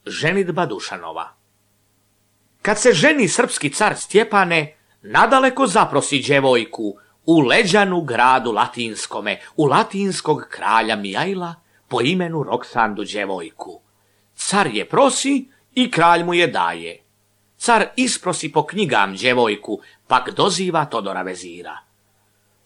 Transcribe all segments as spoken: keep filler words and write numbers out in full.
Ženidba Dušanova. Kad se ženi srpski car Stjepane, nadaleko zaprosi djevojku u leđanu gradu latinskome, u latinskog kralja Mijajla po imenu Roksandu djevojku. Car je prosi i kralj mu je daje. Car isprosi po knjigam djevojku, pak doziva Todora vezira.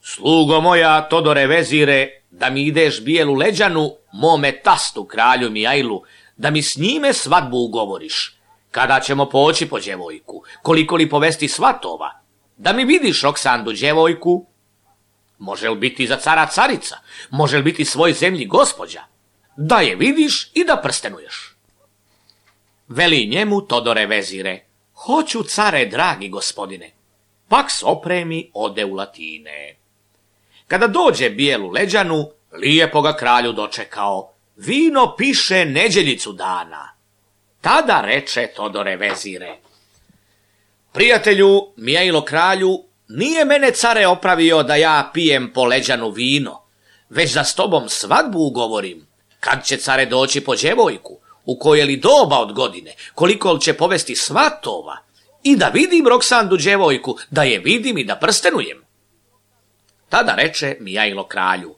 Slugo moja, Todore vezire, da mi ideš bijelu leđanu, mome tastu kralju Mijajlu, da mi s njime svadbu ugovoriš. Kada ćemo poći po djevojku, koliko li povesti svatova, da mi vidiš Roksandu djevojku? Može li biti za cara carica, može li biti svoj zemlji gospođa? Da je vidiš i da prstenuješ. Veli njemu Todore vezire, hoću care dragi gospodine, pak s opremi ode u Latine. Kada dođe bijelu leđanu, lijepo ga kralju dočekao, vino piše neđeljicu dana. Tada reče Todore vezire, prijatelju, Mijajlo kralju, nije mene care opravio da ja pijem po leđanu vino, već da s tobom svadbu ugovorim. Kad će care doći po djevojku, u koje li doba od godine, koliko li će povesti svatova, i da vidim Roksandu djevojku, da je vidim i da prstenujem. Tada reče Mijajlo kralju,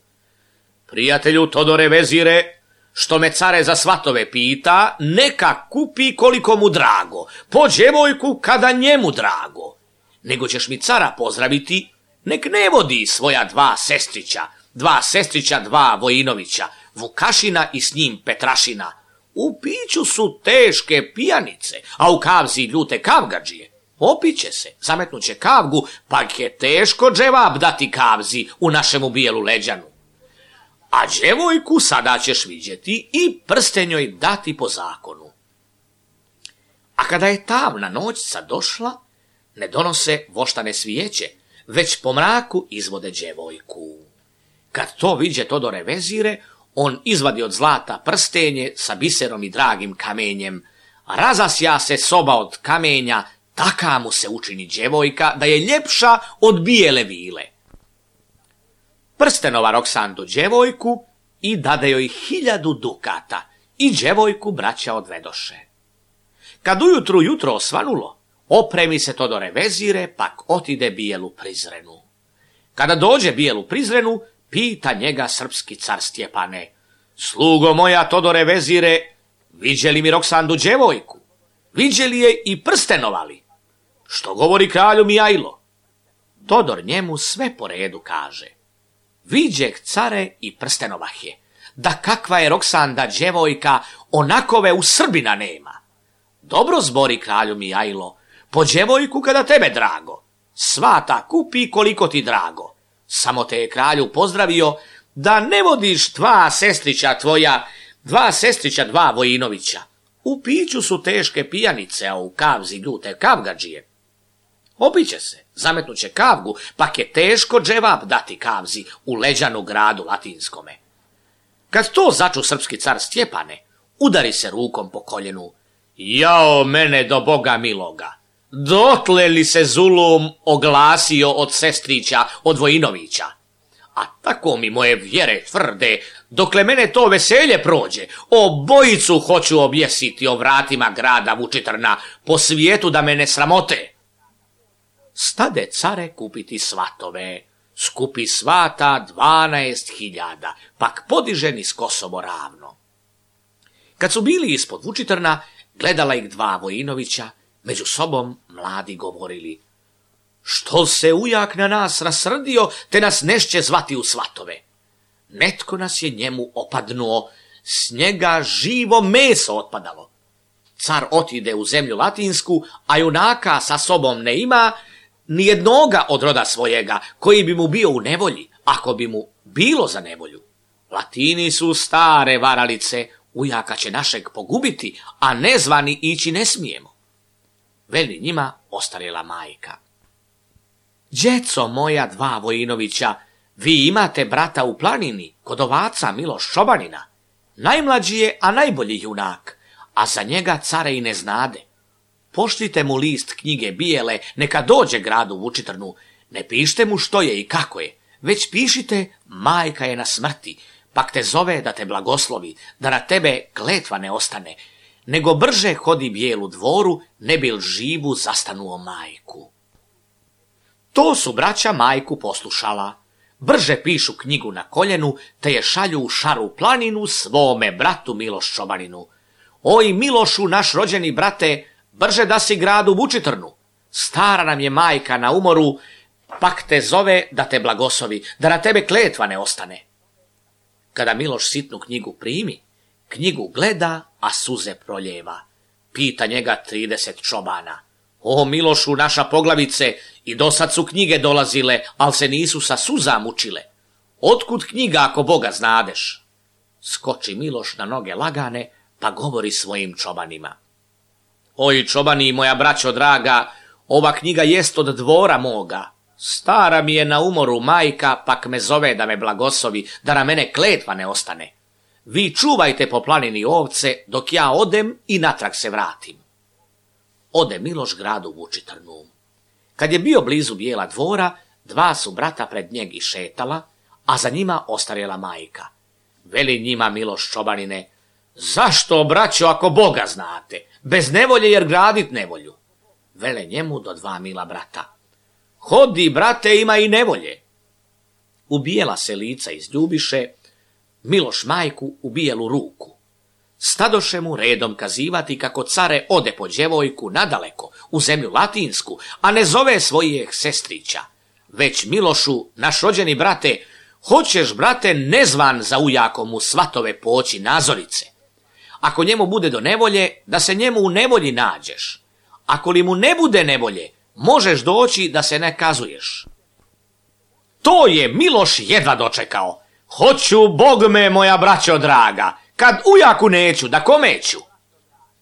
prijatelju Todore vezire, što me care za svatove pita, neka kupi koliko mu drago, po djevojku kada njemu drago. Nego ćeš mi cara pozdraviti, nek ne vodi svoja dva sestrića, dva sestrića, dva Vojinovića, Vukašina i s njim Petrašina. U piću su teške pijanice, a u kavzi ljute kavgadžije. Opiće se, zametnuće kavgu, pa je teško dževab dati kavzi u našemu bijelu leđanu. A djevojku sada ćeš vidjeti i prsten joj dati po zakonu. A kada je tamna noćca došla, ne donose voštane svijeće, već po mraku izvode djevojku. Kad to viđe Todore vezire, on izvadi od zlata prstenje sa biserom i dragim kamenjem, razasja se soba od kamenja, taka mu se učini djevojka da je ljepša od bijele vile. Prstenova Roksandu djevojku i dade joj hiljadu dukata i djevojku braća odvedoše. Kad ujutru jutro osvanulo, opremi se Todore vezire, pak otide bijelu Prizrenu. Kada dođe bijelu Prizrenu, pita njega srpski car Stjepane, slugo moja Todore vezire, viđe li mi Roksandu djevojku? Viđe li je i prstenovali? Što govori kralju Mijajlo? Todor njemu sve po redu kaže. Viđeh care i prstenovah je, da kakva je Roksanda djevojka, onakove u Srbina nema. Dobro zbori kralju Mijajlo, po djevojku kada tebe drago, svata kupi koliko ti drago. Samo te je kralju pozdravio da ne vodiš dva sestrića tvoja, dva sestrića, dva Vojinovića. U piću su teške pijanice, a u kavzi ljute kavgadžije. Opiće se, zametnuće kavgu, pak je teško dževab dati kavzi u leđanu gradu latinskome. Kad to začu srpski car Stjepane, udari se rukom po koljenu. Jao mene do Boga miloga, dotle li se zulum oglasio od sestrića, od Vojinovića? A tako mi moje vjere tvrde, dokle mene to veselje prođe, obojicu hoću objesiti o vratima grada Vučitrna, po svijetu da me ne sramote. Stade care kupiti svatove, skupi svata dvanaest hiljada, pak podiže niz Kosovo ravno. Kad su bili ispod Vučitrna, gledala ih dva Vojinovića, među sobom mladi govorili, što se ujak na nas rasrdio, te nas nešće zvati u svatove. Netko nas je njemu opadnuo, s njega živo meso otpadalo. Car otide u zemlju latinsku, a junaka sa sobom ne ima, nijednoga od roda svojega, koji bi mu bio u nevolji, ako bi mu bilo za nevolju. Latini su stare varalice, ujaka će našeg pogubiti, a nezvani ići ne smijemo. Veli njima ostarjela majka. Djeco moja dva Vojinovića, vi imate brata u planini, kod ovaca Miloš Čobanina. Najmlađi je, a najbolji junak, a za njega care i ne znade. Pošljite mu list knjige bijele, neka dođe gradu Vučitrnu, ne pišite mu što je i kako je, već pišite majka je na smrti, pak te zove da te blagoslovi, da na tebe kletva ne ostane. nego brže hodi bijelu dvoru, ne bil živu zastanuo majku. To su braća majku poslušala. Brže pišu knjigu na koljenu, te je šalju u Šaru planinu svome bratu Miloš Čobaninu. Oj Milošu, naš rođeni brate, brže da si gradu Vučitrnu. Stara nam je majka na umoru, pak te zove da te blagoslovi, da na tebe kletva ne ostane. Kada Miloš sitnu knjigu primi, knjigu gleda, a suze proljeva. Pita njega trideset čobana. O Milošu, naša poglavice, i dosad su knjige dolazile, al se nisu sa suza mučile. Otkud knjiga ako Boga znadeš? Skoči Miloš na noge lagane, pa govori svojim čobanima. Oj čobani, moja braćo draga, ova knjiga jest od dvora moga. Stara mi je na umoru majka, pak me zove da me blagoslovi, da na mene kletva ne ostane. Vi čuvajte po planini ovce, dok ja odem i natrag se vratim. Ode Miloš gradu Vučitrnu. Kad je bio blizu bijela dvora, dva su brata pred njeg išetala, a za njima ostarjela majka. Veli njima Miloš Čobanine, zašto, braćo, ako Boga znate, bez nevolje jer gradit nevolju? Vele njemu do dva mila brata. Hodi, brate, ima i nevolje. Ubijela se lica izljubiše, Miloš majku u bijelu ruku. Stadoše mu redom kazivati kako care ode po djevojku nadaleko, u zemlju latinsku, a ne zove svojih sestrića. Već Milošu, naš rođeni brate, hoćeš, brate, nezvan za ujakom u svatove poći nazorice. Ako njemu bude do nevolje, da se njemu u nevolji nađeš. Ako li mu ne bude nevolje, možeš doći da se ne kazuješ. To je Miloš jedva dočekao. Hoću, Bog me, moja braćo draga, kad ujaku neću, da komeću.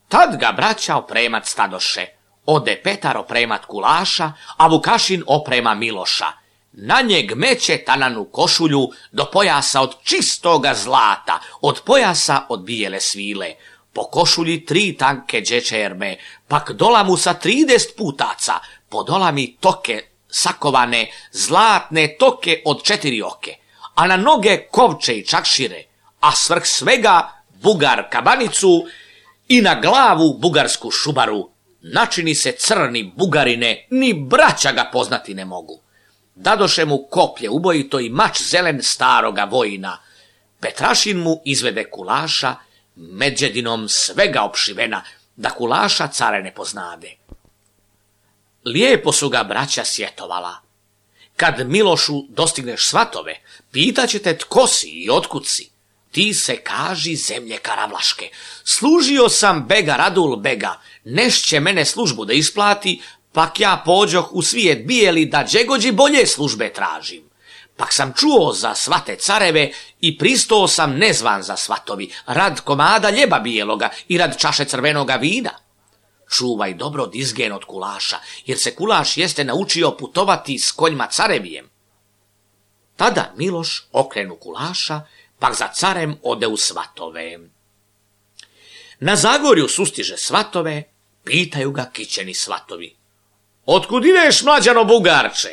Tad ga braća opremat stadoše. Ode Petar opremat kulaša, a Vukašin oprema Miloša. Na njeg meće tananu košulju do pojasa od čistoga zlata, od pojasa od bijele svile. Po košulji tri tanke džečerme, pak dola mu sa trideset putaca, po dola mi toke sakovane, zlatne toke od četiri oke, a na noge kovče i čakšire, a svrh svega bugar kabanicu i na glavu bugarsku šubaru. Načini se crni bugarine, ni braća ga poznati ne mogu. Dadoše mu koplje ubojito i mač zelen staroga vojina. Petrašin mu izvede kulaša, međedinom svega opšivena, da kulaša care ne poznade. Lijepo su ga braća sjetovala. Kad Milošu dostigneš svatove, pitaće te tko si i otkud si. Ti se kaži zemlje Karavlaške. Služio sam bega Radul bega, nešće mene službu da isplati, pak ja pođoh u svijet bijeli da džegođi bolje službe tražim. Pak sam čuo za svate careve i pristao sam nezvan za svatovi, rad komada ljeba bijeloga i rad čaše crvenoga vina. Čuvaj dobro dizgen od kulaša, jer se kulaš jeste naučio putovati s konjma carevijem. Tada Miloš okrenu kulaša, pak za carem ode u svatove. Na Zagorju sustiže svatove, pitaju ga kićeni svatovi. Otkud ideš, mlađano bugarče?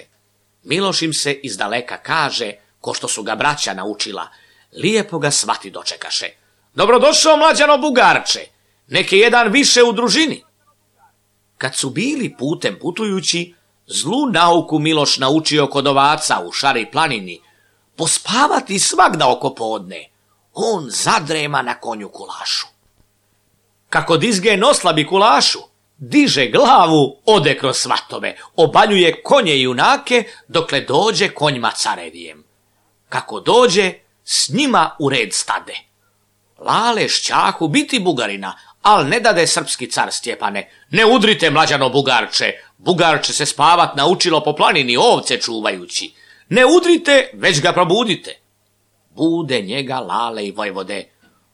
Miloš im se izdaleka kaže, ko što su ga braća naučila. Lijepo ga svati dočekaše. Dobrodošao, mlađano bugarče, neki jedan više u družini. Kad su bili putem putujući, zlu nauku Miloš naučio kod ovaca u Šari planini, pospavati svagda oko podne. On zadrema na konju kulašu. Kako dizgen oslabi kulašu, diže glavu, ode kroz svatove, obaljuje konje i junake, dokle dođe konjma carevijem. Kako dođe, s njima u red stade. Lale šćahu biti bugarina, al ne dade srpski car Stjepane. Ne udrite, mlađano bugarče, bugarče se spavat naučilo po planini ovce čuvajući. Ne udrite, već ga probudite. Bude njega Lale i vojvode.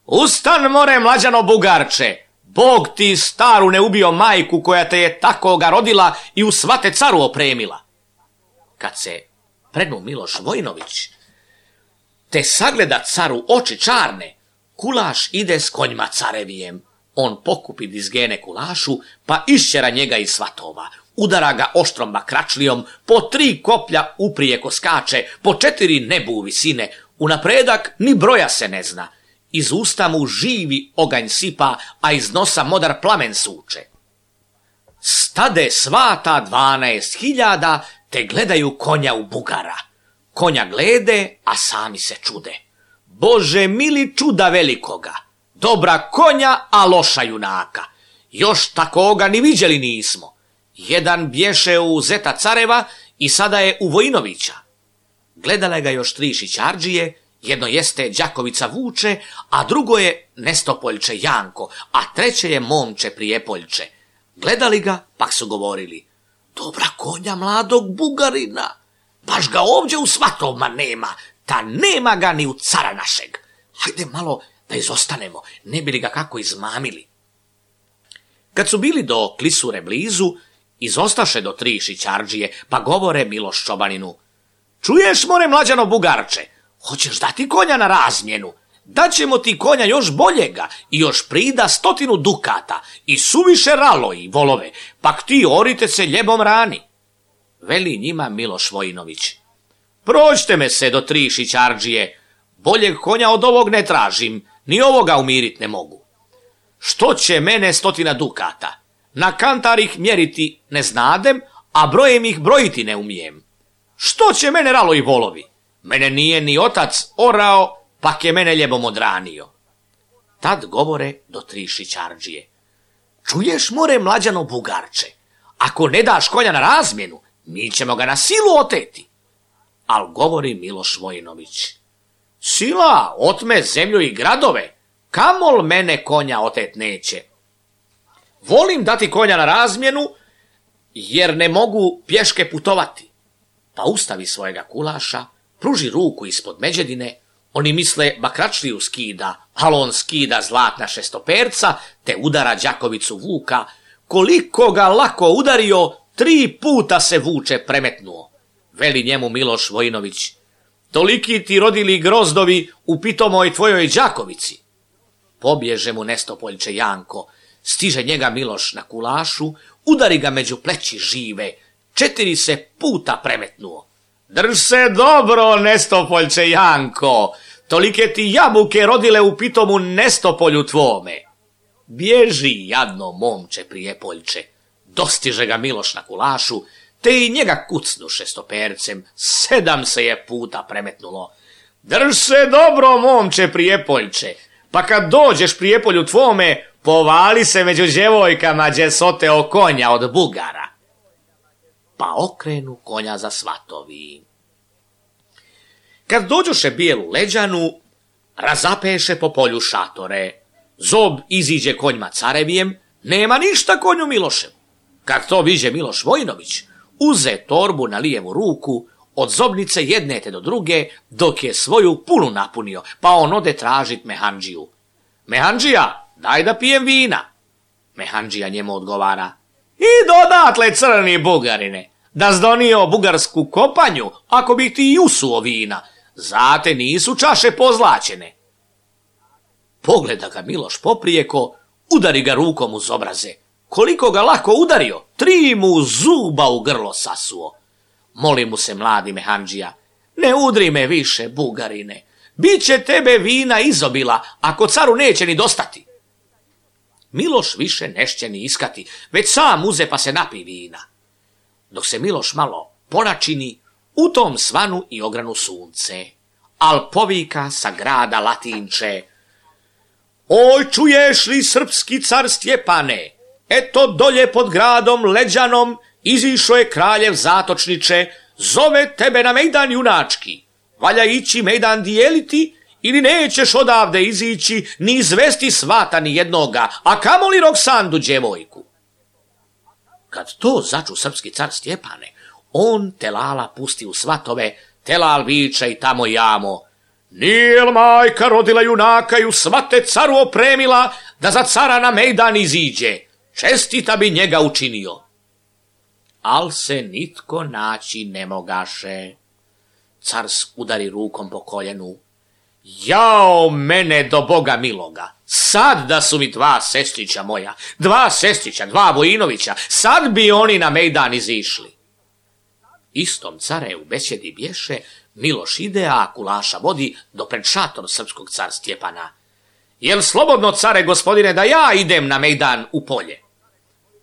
Ustan more, mlađano bugarče, Bog ti staru ne ubio majku koja te je tako ga rodila i u svate caru opremila. Kad se prednu Miloš Vojnović, te sagleda caru oči čarne, kulaš ide s konjma carevijem. On pokupi dizgene kulašu, pa išćera njega iz svatova. Udara ga oštrom bakračlijom, po tri koplja uprijeko skače, po četiri nebu visine, unapredak ni broja se ne zna. iz usta mu živi oganj sipa, a iz nosa modar plamen suče. Stade svata dvanaest hiljada, te gledaju konja u bugara. Konja glede, a sami se čude. Bože mili, čuda velikoga, dobra konja, a loša junaka. Još takoga ni viđeli nismo. Jedan bješe u zeta careva i sada je u Vojinovića. Gledale ga još tri šićardžije, jedno jeste Đakovica Vuče, a drugo je Nestopoljče Janko, a treće je Momče Prijepoljče. Gledali ga, pak su govorili: dobra konja mladog bugarina, baš ga ovdje u svatovma nema, ta nema ga ni u cara našeg. Hajde malo da izostanemo, ne bi li ga kako izmamili. Kad su bili do klisure blizu, izostaše do tri šićardžije, pa govore Miloš čobaninu: čuješ, more mlađano bugarče, hoćeš dati konja na razmjenu? Daćemo ti konja još boljega i još prida stotinu dukata i suviše ralo i volove, pak ti orite se ljebom rani. Veli njima Miloš Vojinović: prođite me se do tri šićardžije, boljeg konja od ovog ne tražim, ni ovoga umirit ne mogu. Što će mene stotina dukata? Na kantar ih mjeriti ne znadem, a brojem ih brojiti ne umijem. Što će mene ralo i volovi? Mene nije ni otac orao, pak je mene ljebom odranio. Tad govore do tri šićardžije: čuješ, more mlađano bugarče, ako ne daš konja na razmjenu, mi ćemo ga na silu oteti. Al govori Miloš Vojinović: sila otme zemlju i gradove, kamol mene konja otet neće. Volim dati konja na razmjenu, jer ne mogu pješke putovati. Pa ustavi svojega kulaša, pruži ruku ispod međedine, oni misle bakračliju skida, ali on skida zlatna šestoperca, te udara Đakovicu Vuka. Koliko ga lako udario, tri puta se Vuče premetnuo. Veli njemu Miloš Vojinović: toliki ti rodili grozdovi u pitomoj tvojoj Đakovici. Pobježe mu Nestopoljče Janko, stiže njega Miloš na kulašu, udari ga među pleći žive, četiri se puta premetnuo. Drž se dobro, Nestopoljče Janko, tolike ti jabuke rodile u pitomu Nestopolju tvome. Bježi, jadno Momče Prijepoljče. Dostiže ga Miloš na kulašu, te i njega kucnu šestopercem, sedam se je puta premetnulo. Drž se dobro, Momče Prijepoljče, pa kad dođeš Prijepolju tvome, povali se među djevojkama đe soteo konja od bugara. Pa okrenu konja za svatovi. Kad dođoše bijelu leđanu, razapeše po polju šatore. Zob iziđe konjma carevijem, nema ništa konju Miloševu. Kad to viđe Miloš Vojinović, uze torbu na lijevu ruku, od zobnice jedne te do druge, dok je svoju punu napunio, pa on ode tražit mehandžiju. Mehandžija, daj da pijem vina. Mehandžija njemu odgovara: i dodatle, crni bugarine, da zdonio bugarsku kopanju, ako bih ti usuo vina, zate nisu čaše pozlačene. Pogleda ga Miloš poprijeko, udari ga rukom uz obraze. Koliko ga lako udario, tri mu zuba u grlo sasuo. Moli mu se mladi mehandžija: ne udri me više, bugarine, biće tebe vina izobila, ako caru neće ni dostati. Miloš više nešće ni iskati, već sam uze pa se napi vina. Dok se Miloš malo ponačini, u tom svanu i ogranu sunce, al povika sa grada Latinče: oj, čuješ li, srpski car Stjepane, eto dolje pod gradom Leđanom izišao je kraljev zatočniče, zove tebe na mejdan junački. Valja ići mejdan dijeliti, ili nećeš odavde izići ni izvesti svata ni jednoga, a kamoli Roksandu djevojku. Kad to začu srpski car Stjepane, on Telala pusti u svatove, Telal viče i tamo jamo: nije li majka rodila junaka i u svate caru opremila, da za cara na mejdan iziđe, čestita bi njega učinio. Al se nitko naći ne mogaše. Car udari rukom po koljenu: jao mene do Boga miloga, sad da su mi dva sestrića moja, dva sestrića, dva Vojinovića, sad bi oni na mejdan izišli. Istom care u besjedi bješe, Miloš ide, a kulaša vodi do pred šator srpskog car Stjepana. Jel slobodno, care gospodine, da ja idem na mejdan u polje?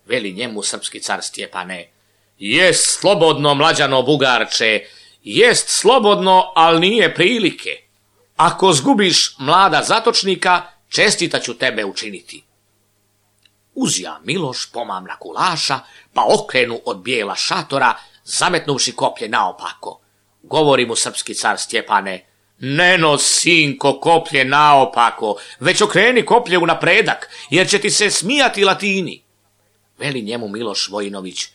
Veli njemu srpski car Stjepane, jest slobodno, mlađano Bugarče, jest slobodno, al nije prilike. Ako zgubiš mlada zatočnika, čestita ću tebe učiniti. Uzja Miloš pomamna kulaša, pa okrenu od bijela šatora, zametnuvši koplje naopako. Govori mu srpski car Stjepane, ne nos, sinko, koplje naopako, već okreni koplje u napredak, jer će ti se smijati Latini. Veli njemu Miloš Vojinović,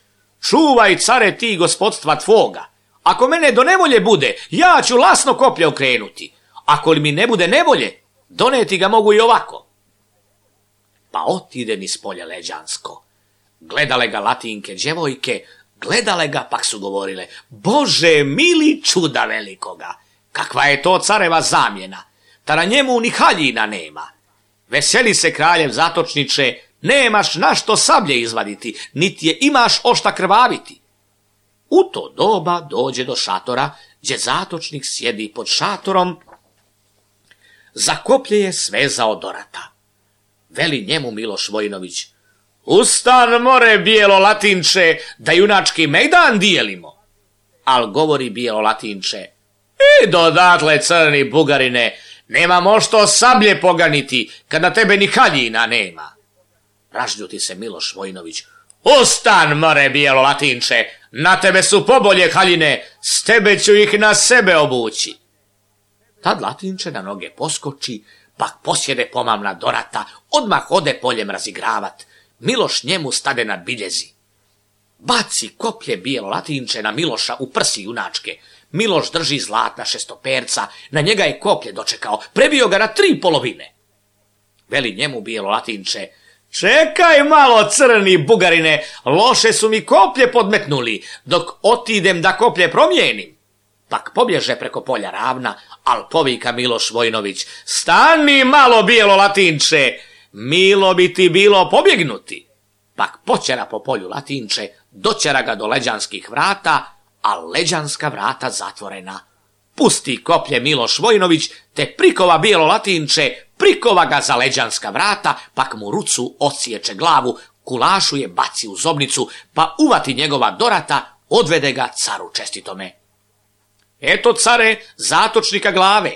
čuvaj, care, ti gospodstva tvoga. Ako mene do nevolje bude, ja ću lasno koplje okrenuti. Ako li mi ne bude nevolje, doneti ga mogu i ovako. Pa otide niz polje leđansko. Gledale ga Latinke djevojke, gledale ga, pak su govorile, Bože mili, čuda velikoga, kakva je to careva zamjena, ta na njemu ni haljina nema. Veseli se kraljev zatočniče, nemaš na što sablje izvaditi, niti je imaš ošta krvaviti. U to doba dođe do šatora, gdje zatočnik sjedi pod šatorom, za koplje je svezao dorata. Veli njemu Miloš Vojinović, ustan more, bijelo Latinče, da junački mejdan dijelimo. Al govori bijelo Latinče, i dodatle, crni Bugarine, nemamo što sablje poganiti, kad na tebe ni haljina nema. Ražljuti se Miloš Vojinović, ustan more, bijelo Latinče, na tebe su pobolje haljine, s tebe ću ih na sebe obući. Tad Latinče na noge poskoči, pak posjede pomamna dorata, odmah ode poljem razigravat. Miloš njemu stade na biljezi. Baci koplje bijelo Latinče na Miloša u prsi junačke. Miloš drži zlatna šestoperca, na njega je koplje dočekao, prebio ga na tri polovine. Veli njemu bijelo Latinče, čekaj malo, crni Bugarine, loše su mi koplje podmetnuli, dok otidem da koplje promijenim. Pak pobježe preko polja ravna, al povika Miloš Vojinović, stani malo, bijelo Latinče, milo bi ti bilo pobjegnuti. Pak počera po polju Latinče, doćera ga do leđanskih vrata, a leđanska vrata zatvorena. Pusti koplje Miloš Vojinović, te prikova bijelo Latinče, prikova ga za leđanska vrata, pak mu rucu odsječe glavu, kulašu je baci u zobnicu, pa uvati njegova dorata, odvede ga caru čestitome. Eto, care, zatočnika glave.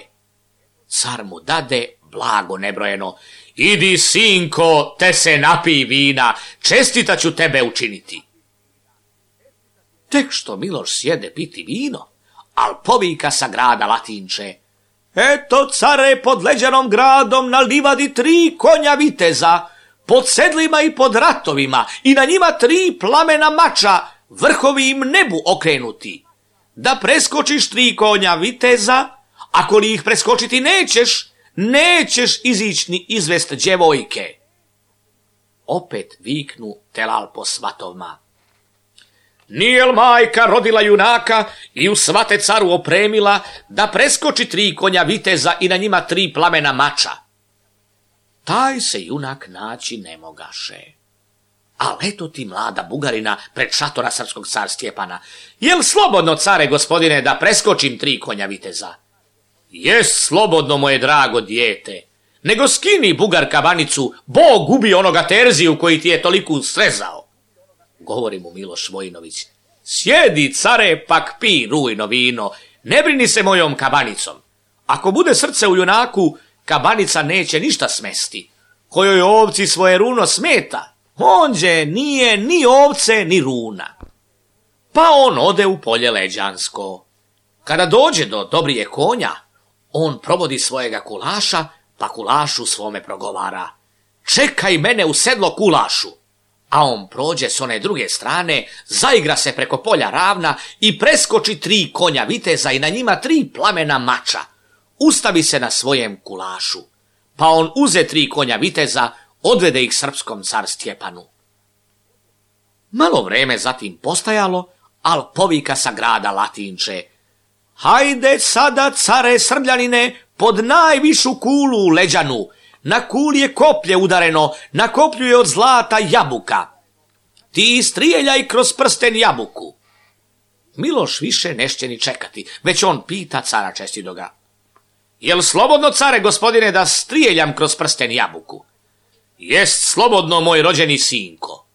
Car mu dade blago nebrojeno, idi, sinko, te se napij vina, čestita ću tebe učiniti. Tek što Miloš sjede piti vino, al povika sa grada Latinče, eto, care, pod leđanom gradom na livadi tri konja viteza, pod sedlima i pod ratovima, i na njima tri plamena mača, vrhovi im nebu okrenuti. Da preskočiš tri konja viteza, ako li ih preskočiti nećeš, nećeš izići ni izvest djevojke. Opet viknu telal po svatovima. Nijel majka rodila junaka i u svate caru opremila, da preskoči tri konja viteza i na njima tri plamena mača. Taj se junak naći ne mogaše. A eto ti mlada Bugarina pred šatora srpskog car Stjepana. Jel slobodno, care gospodine, da preskočim tri konja viteza? Jes slobodno, moje drago dijete. Nego skini, Bugar, kabanicu, Bog ubi onoga Terziju koji ti je toliko srezao. Govori mu Miloš Vojinović. Sjedi, care, pak pi rujno vino, ne brini se mojom kabanicom. Ako bude srce u junaku, kabanica neće ništa smesti. Kojoj ovci svoje runo smeta, onđe nije ni ovce ni runa. Pa on ode u polje leđansko. Kada dođe do dobrije konja, on probodi svojega kulaša, pa kulašu svome progovara. Čekaj mene u sedlo, kulašu. A on prođe s one druge strane, zaigra se preko polja ravna i preskoči tri konja viteza i na njima tri plamena mača. Ustavi se na svojem kulašu. Pa on uze tri konja viteza, odvede ih srpskom car Stjepanu. Malo vreme zatim postajalo, al povika sa grada Latinče. Hajde sada, care Srbljanine, pod najvišu kulu u leđanu. Na kuli je koplje udareno, na koplju je od zlata jabuka. Ti strijeljaj kroz prsten jabuku. Miloš više nešće ni čekati, već on pita cara čestitoga. Jel slobodno, care gospodine, da strijeljam kroz prsten jabuku? Jest slobodno, moj rođeni sinko.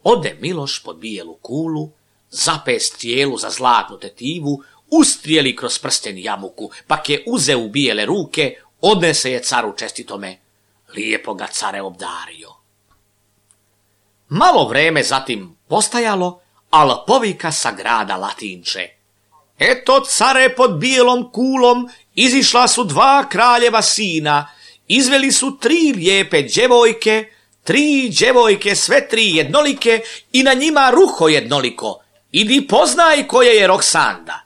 Ode Miloš pod bijelu kulu, zape strijelu za zlatnu tetivu, ustrijeli kroz prsten jabuku, pak je uze u bijele ruke, odnese je caru čestitome, lijepo ga care obdario. Malo vreme zatim postajalo, al povika sa grada Latinče. Eto, care, pod bijelom kulom izišla su dva kraljeva sina, izveli su tri lijepe djevojke, tri djevojke sve tri jednolike i na njima ruho jednoliko. Idi poznaj koje je Roksanda.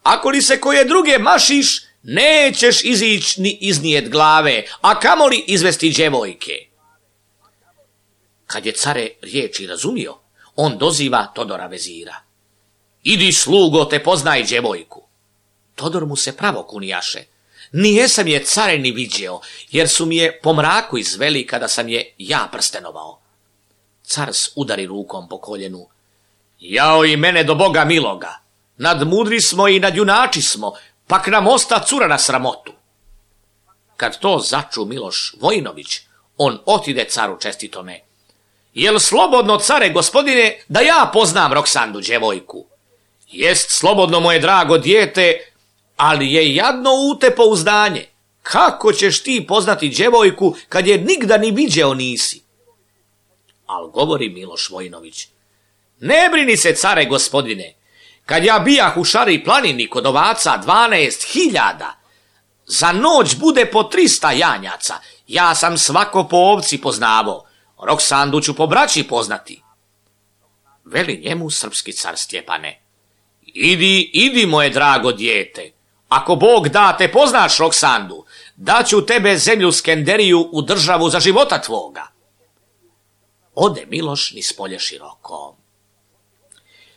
Ako li se koje druge mašiš, nećeš izić ni iznijet glave, a kamoli izvesti djevojke. Kad je care riječi razumio, on doziva Todora vezira. Idi, slugo, te poznaj djevojku. Todor mu se pravo kunijaše. Nije sam je, care, ni viđeo, jer su mi je po mraku izveli kada sam je ja prstenovao. Car udari rukom po koljenu. Jao i mene do Boga miloga. Nadmudri smo i nadjunači smo, pak nam osta cura na sramotu. Kad to začu Miloš Vojinović, on otide caru čestitome. Jel slobodno, care gospodine, da ja poznam Roksandu djevojku? Jest slobodno, moje drago dijete, ali je jadno u te pouzdanje. Kako ćeš ti poznati djevojku kad je nigda ni viđeo nisi? Al govori Miloš Vojinović. Ne brini se, care gospodine, kad ja bijah u Šari planini kod ovaca dvanaest hiljada, za noć bude po trista janjaca, ja sam svako po ovci poznavo, Roksandu ću po braći poznati. Veli njemu srpski car Stjepane. Idi, idi, moje drago dijete, ako Bog da te poznaš Roksandu, daću tebe zemlju Skenderiju u državu za života tvoga. Ode Miloš niz polje široko.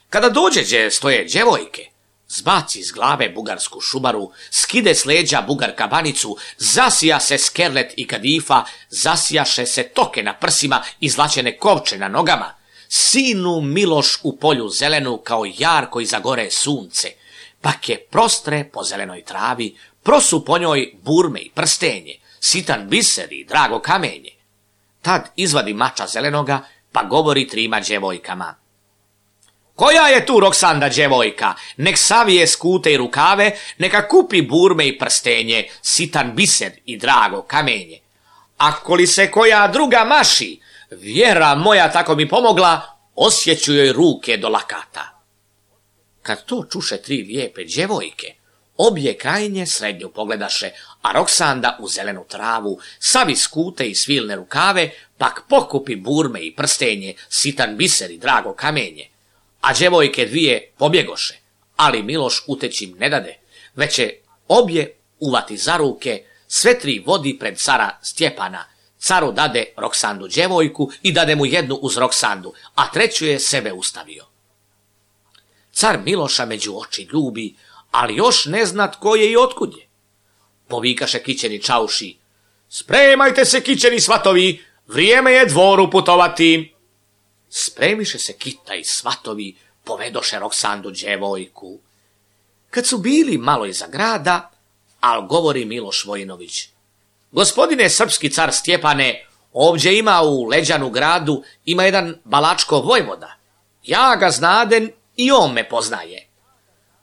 Kada dođe gdje stoje djevojke, zbaci iz glave bugarsku šubaru, skide s leđa bugar kabanicu, zasija se skerlet i kadifa, zasijaše se toke na prsima i zlačene kovče na nogama, sinu Miloš u polju zelenu kao jarko iza gore sunce, pak je prostre po zelenoj travi, prosu po njoj burme i prstenje, sitan biser i drago kamenje. Tad izvadi mača zelenoga, pa govori trima djevojkama. Koja je tu Roksanda djevojka? Nek savije skute i rukave, neka kupi burme i prstenje, sitan biser i drago kamenje. Ako li se koja druga maši, vjera moja tako mi pomogla, osjeću joj ruke do lakata. Kad to čuše tri lijepe djevojke, obje krajnje srednju pogledaše, a Roksanda u zelenu travu, savi skute i svilne rukave, pak pokupi burme i prstenje, sitan biser i drago kamenje. A djevojke dvije pobjegoše, ali Miloš uteći ne dade, već će obje uvati za ruke, sve tri vodi pred cara Stjepana. Caru dade Roksandu djevojku i dade mu jednu uz Roksandu, a treću je sebe ustavio. Car Miloša među oči ljubi, ali još ne zna tko je i otkud je. Povikaše kićeni čauši. Spremajte se, kićeni svatovi, vrijeme je dvoru putovati. Spremiše se kita i svatovi, povedoše Roksandu djevojku. Kad su bili malo iza grada, al govori Miloš Vojinović. Gospodine srpski car Stjepane, ovdje ima u Leđanu gradu, ima jedan Balačko vojvoda. Ja ga znaden i on me poznaje.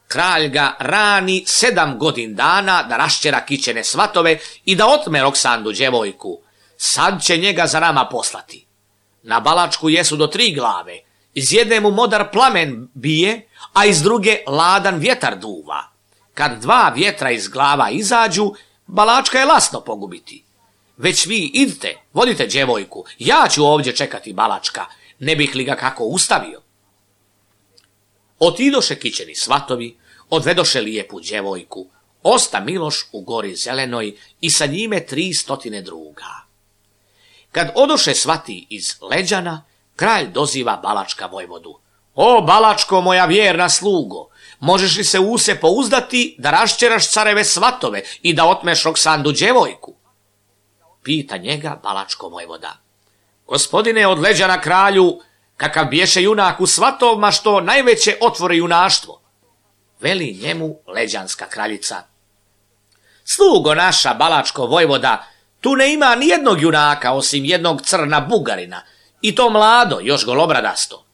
Kralj ga rani sedam godin dana da raščera kićene svatove i da otme Roksandu djevojku. Sad će njega za nama poslati. Na Balačku jesu do tri glave, iz jedne mu modar plamen bije, a iz druge ladan vjetar duva. Kad dva vjetra iz glava izađu, Balačka je lasno pogubiti. Već vi idite, vodite djevojku, ja ću ovdje čekati Balačka, ne bih li ga kako ustavio. Otidoše kićeni svatovi, odvedoše lijepu djevojku, osta Miloš u gori zelenoj i sa njime tri stotine druga. Kad odoše svati iz Leđana, kralj doziva Balačka vojvodu. O, Balačko, moja vjerna slugo, možeš li se u se pouzdati da raščeraš careve svatove i da otmeš Roksandu djevojku? Pita njega Balačko vojvoda. Gospodine, od Leđana kralju, kakav biješe junak u svatovma što najveće otvore junaštvo. Veli njemu Leđanska kraljica. slugo naša, Balačko vojvoda, tu ne ima ni jednog junaka osim jednog crna Bugarina, i to mlado, još golobradasto.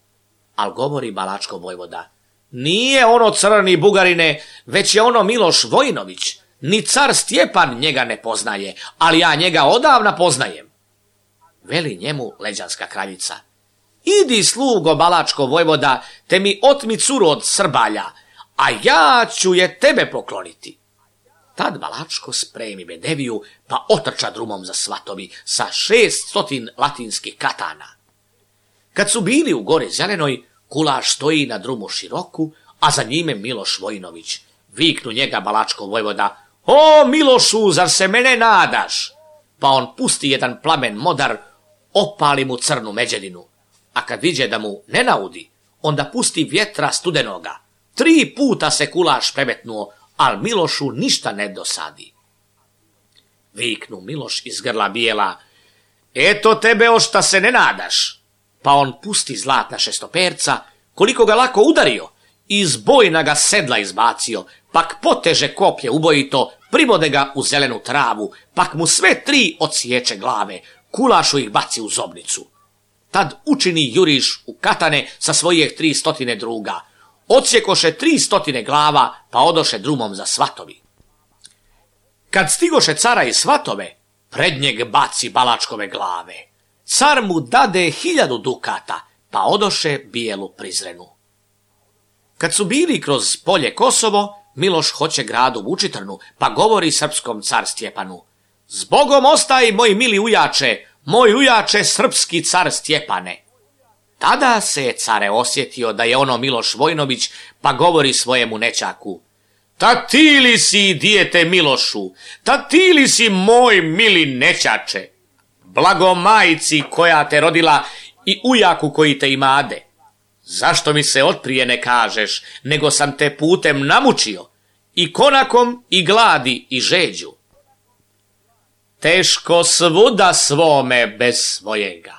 Al govori Balačko vojvoda, nije ono crni Bugarine, već je ono Miloš Vojinović, ni car Stjepan njega ne poznaje, ali ja njega odavna poznajem. Veli njemu Leđanska kraljica, idi slugo Balačko vojvoda, te mi otmi curu od Srbalja, a ja ću je tebe pokloniti. Tad Balačko spremi bedeviju, pa otrča drumom za svatovi sa šest stotin latinskih katana. Kad su bili u gori zelenoj, Kulaš stoji na drumu široku, a za njime Miloš Vojinović. Viknu njega Balačko vojvoda, o Milošu, zar se mene nadaš? Pa on pusti jedan plamen modar, opali mu crnu međedinu, a kad viđe da mu ne naudi, onda pusti vjetra studenoga. Tri puta se Kulaš premetnuo, al Milošu ništa ne dosadi. Viknu Miloš iz grla bijela, eto tebe ošta se ne nadaš. Pa on pusti zlatna šestoperca, koliko ga lako udario, iz bojna ga sedla izbacio, pak poteže koplje ubojito, pribode ga u zelenu travu, pak mu sve tri odsječe glave, Kulašu ih baci u zobnicu. Tad učini juriš u katane sa svojih tri stotine druga, odsjekoše tri stotine glava, pa odoše drumom za svatovi. Kad stigoše cara i svatove, pred njeg baci Balačkove glave. Car mu dade hiljadu dukata, pa odoše bijelu prizrenu. Kad su bili kroz polje Kosovo, Miloš hoće gradu Vučitrnu, pa govori srpskom car Stjepanu, zbogom ostaj, moj mili ujače, moj ujače srpski car Stjepane. Tada se je care osjetio da je ono Miloš Vojnović, pa govori svojemu nećaku, ta ti li si, dijete Milošu, ta ti li si moj mili nećače, blago majci koja te rodila i ujaku koji te imade. Zašto mi se otprije ne kažeš, nego sam te putem namučio, i konakom, i gladi, i žeđu. Teško svuda svome bez svojega.